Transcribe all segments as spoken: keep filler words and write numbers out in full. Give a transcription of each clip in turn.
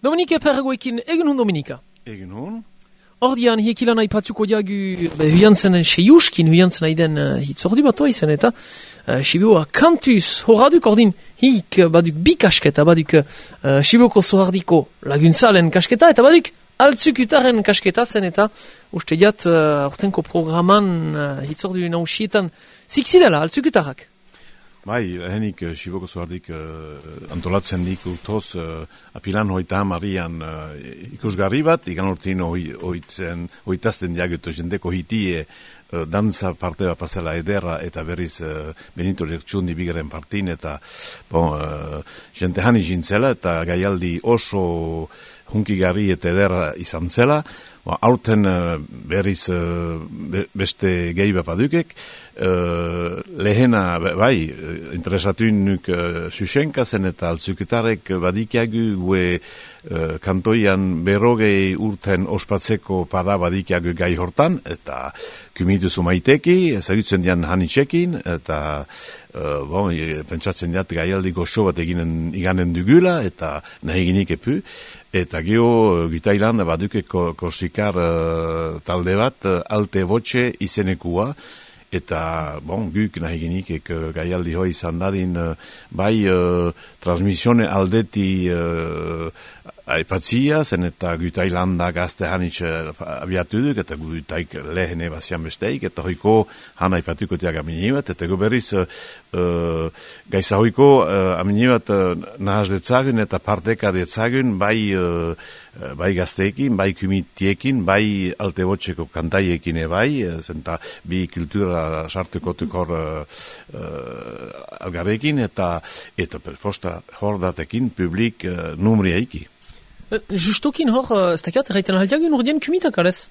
Dominika Perragoekin, egun hun Dominika. Egun hun. Ordian, hiekilan aipatuko diagu huiantzen seiuskin, huiantzen aiden uh, hitzordu bat oizen eta uh, Sibiua kantuz horaduk ordin hik baduk bi kasketa, baduk uh, Sibiuko zohardiko laguntzalen kasketa eta baduk altzukutaren kasketa zen eta uste diat uh, ortenko programan uh, hitzordu nausietan zikzidela altzukutarak. Bai, lehenik uh, Sibiuko zohardik uh, antolatzen dik urtoz uh, apilan hoita hamarian uh, ikusgarri bat, ikan urtin hoitazten diagutu jendeko hitie uh, danza parte bat pasela ederra eta berriz uh, Benito Lertxundi bigaren partin eta bon, uh, jente hani jintzela eta gaialdi oso hunkigarri eta ederra izan zela. Ba, aurten uh, berriz uh, be, beste gehi bat badukek, uh, lehena, bai, interesatu nuk uh, Susenka zen eta altzuketarek badikiagu gue uh, kantoian berrogei urten ospatzeko pada badikiagu gai hortan, eta kumitu zumaiteki, ezagutzen dian hanitxekin, eta uh, bon, pentsatzen diat gaialdi goxo bat eginen iganen dugula, eta nahi ginik epu, eta geho Gitailan baduke korsikar uh, talde bat uh, alte botxe izenekua, eta bon, guk nahi ginikek uh, gaialdi hoi izan dadin uh, bai uh, transmisione aldeti uh, aipatzia, zen eta Gitailanda gazte hanitxe abiatu duk, eta Gitaik lehene bazian besteik, eta hoiko han aipatuko tiak aminibat, eta go berriz uh, uh, gaiza hoiko uh, aminibat uh, nahaz detzagun eta parteka detzagun bai uh, bai gazteekin, bai kumitiekin, bai alte botxeko kantaiekin ebai, zenta bi kultura sartuko tukor uh, uh, algarekin, eta eta perfosta hordatekin publik uh, numriaiki. Justokin hor, ez dakiat, erraiten aldiagun urdien kumitak alez?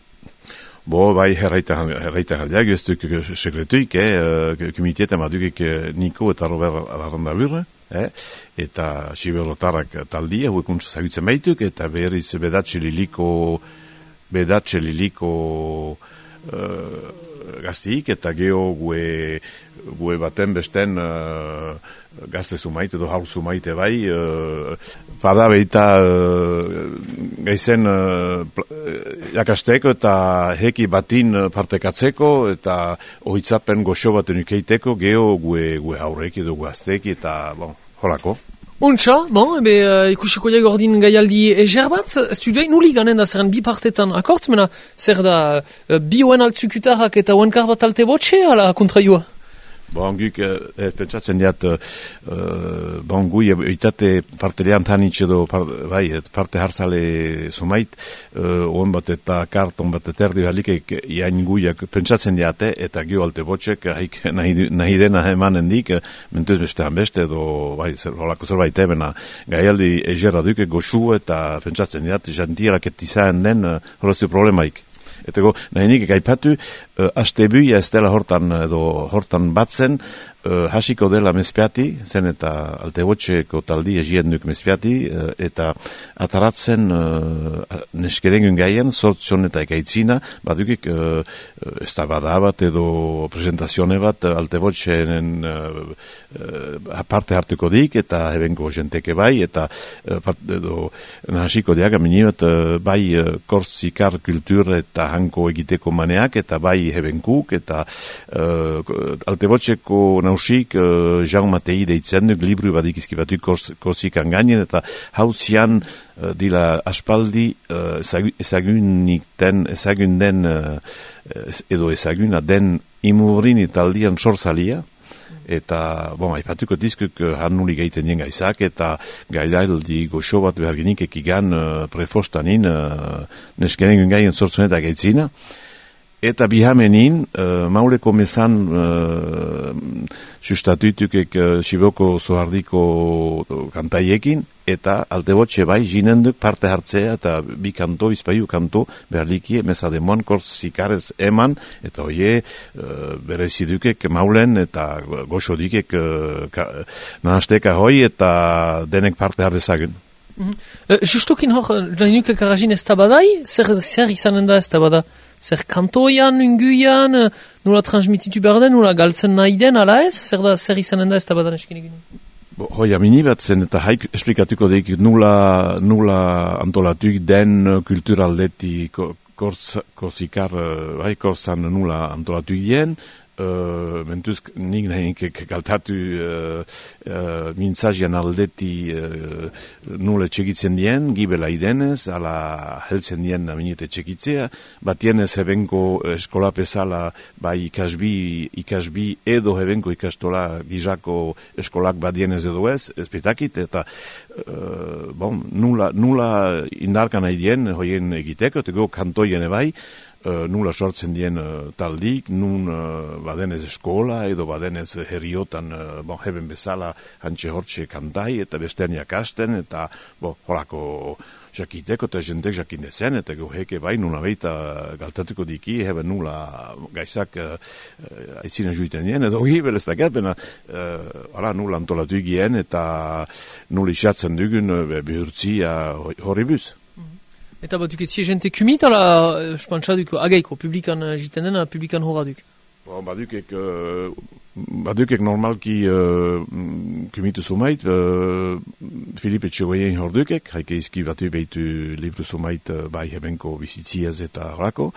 Bo, bai, erraiten aldiagun, ez duk sekretuik, eh, kumitietan badukik Niko eta Robert Arandabur, eh, eta Siberotarrak taldia, huekuntz zagutzen baituk, eta berriz bedatxe liliko, bedatxe liliko uh, gaztiik, eta geho gue, gue baten besten uh, gazte zumaite, edo haur zumaite bai, uh, bada behita uh, gaizen uh, jakasteko eta heki batin partekatzeko, eta ohitzapen goxo baten ukeiteko, geho gue, gue haureki edo gazteki, eta bon, holako. Untxa, bon, ebe uh, ikusiko diag ordin gaialdi eger bat, studioi nuli ganen da zeren bi partetan akort, mena zer da uh, bi oen altzukutarak eta oen karbat alte botxe ala kontraioa? Bon, guk, eh, pentsatzen diat, uh, bon, gui, itate parte lehan tanitxe do, par, bai, parte hartzale sumait, uh, on bat eta kart, on bat eta erdi halikek, iain guiak pentsatzen diate, eta gio alte botxek, haik nahi, nahi dena emanen dik, mentuz bestean beste, do, bai, zer, holako zerbait ebena, gaialdi egerra duke goxu, eta pentsatzen diat, jantirak etizaen den, uh, horrezio problemaik. Eta go, nahi nik egaipatu, uh, astebuia ez dela hortan, edo hortan batzen, uh, hasiko dela mezpiati, zen eta alte botxeko taldi egien duk mezpiati, uh, eta ataratzen uh, neskerengun gaien, sortxon eta ekaitzina, badukik uh, ez da badabat edo presentazione bat uh, alte botxenen uh, uh, parte hartuko dik, eta hebenko jenteke bai, eta uh, part, edo nahasiko diaga minibat uh, bai uh, kortzikar kultur eta hanko egiteko maneak, eta bai hebenkuk, eta uh, alte botxeko nausik uh, Jean Matei deitzen duk libru badik izkibatu kortzikan gainen, eta hau zian uh, dila aspaldi uh, ezagunik den, ezagun den uh, edo ezaguna den imurin italdian sortzalia, eta, bon, aipatuko dizkuk uh, hannuli gaiten dien gaizak, eta gailaldi goxo bat behar genik ekigan uh, prefostanin uh, neskenen gaien sortzunetak gaitzina, eta bihamenin, uh, mauleko mesan uh, sustatutukek uh, Sibiuko zohardiko kantaiekin, eta alte botxe bai jinenduk parte hartzea, eta bi kanto, izpaiu kanto, berlikie, mesademoan, kortzikarez eman, eta oie, uh, berezidukek maulen, eta goxo dikek uh, nahasteka hoi, eta denek parte hartzezagun. Mm-hmm. Uh, justokin hor, nahinuke karajin ez tabadai, zer, zer izanen da ez tabada? Zer kantoian, unguian, nula transmititu behar den, nula galtzen nahi den, ala ez? Zer da, zer izanen da ez tabadan eskin egin? Hoi amini bat zen eta haik esplikatuko deik nula, nula antolatuik den kulturaldeti korsikar, bai, korsan nula antolatuik dien, Uh, mentuz nik nahinik galtatu uh, uh, mintzazian aldeti uh, nule txekitzen dien, gibela idenez, ala heltzen dien aminete txekitzea, batienez hebenko eskola pesala bai ikasbi, ikasbi edo hebenko ikastola gizako eskolak badienez edo ez, ezpetakit, eta uh, bon, nula, nula indarkan nahi dien hoien egiteko, eta go kantoien ebai, Uh, nula sortzen dien uh, taldik, nun uh, badenez eskola edo badenez herriotan uh, bon, heben bezala hantxe hortxe kantai eta besterniak hasten eta bo, horako jakiteko eta jentek jakindezen eta goheke bai nuna beita galtatuko diki heben nula gaizak uh, uh, aitzina juiten dien edo gibeleztak erpena uh, nula antolatu egien eta nula isatzen dugun uh, behurtzia horribuz. Eta batuk etzie jente kumit ala, espantxaduk, agaiko, publikan jiten dena, publikan horaduk? Bon, badukek, uh, badukek normalki uh, kumitu sumait, uh, Filipe Txegoyen hordukek, haike izki batu behitu libru sumait uh, bai hebenko bizitziaz eta horako,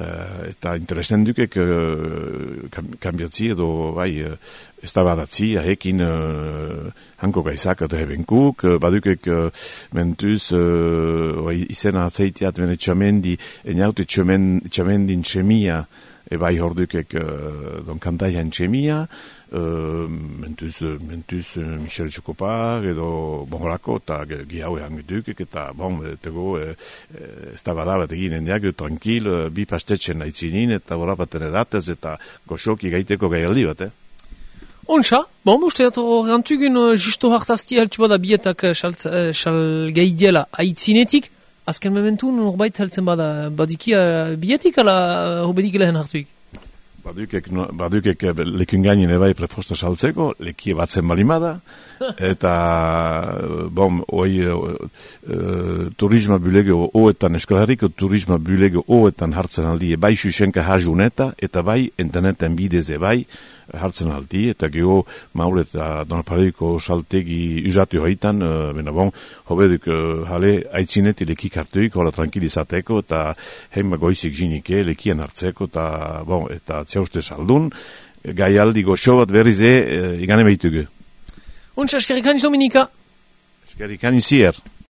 uh, eta interesten dukek uh, kambiatzi edo bai uh, ez da badatzi, ahekin uh, hanko gaizak eta hebenkuk, uh, badukek uh, mentuz uh, izena atzeitiat bene txamendi, eniaute txamendin txemia, ebai hordukek uh, don kantaian txemia, uh, mentuz, mentuz uh, Michel Txokopar edo bonholako, eta gihaue hangudukek, eta bon, tego uh, ez da badabat egin endiak, tranquil, uh, bi pastetxen aitzinin, eta borapaten edatez, eta goxoki gaiteko gaialdi bat, eh? Ontsa, bon, uste dut horrentugun uh, justo hartazti haltsu bada bietak uh, xal gaidiela aitzinetik, azken mementu norbait heltzen bada badiki uh, bietik ala uh, hobedik lehen hartuik? Badukek, no, badukek lekun gainin ebai prefosta saltzeko, lekie batzen balimada, eta, bom, oi, uh, uh, turisma bulego oetan, eskolariko turisma bulego oetan hartzen aldi, bai xuxenka hajuneta, eta bai interneten bidez ebai, hartzen aldi, eta geho maule eta donapareko saltegi usatu hoitan, uh, bena bon, hobeduk uh, jale aitzineti lekik hartuik, hola tranquilizateko, eta heima goizik jinike, lekian hartzeko, eta bon, eta zeuste saldun, gai aldi goxo bat berrize, uh, igane behitugu. Untsa, eskerrik hain Dominika. Eskerrik hain zier.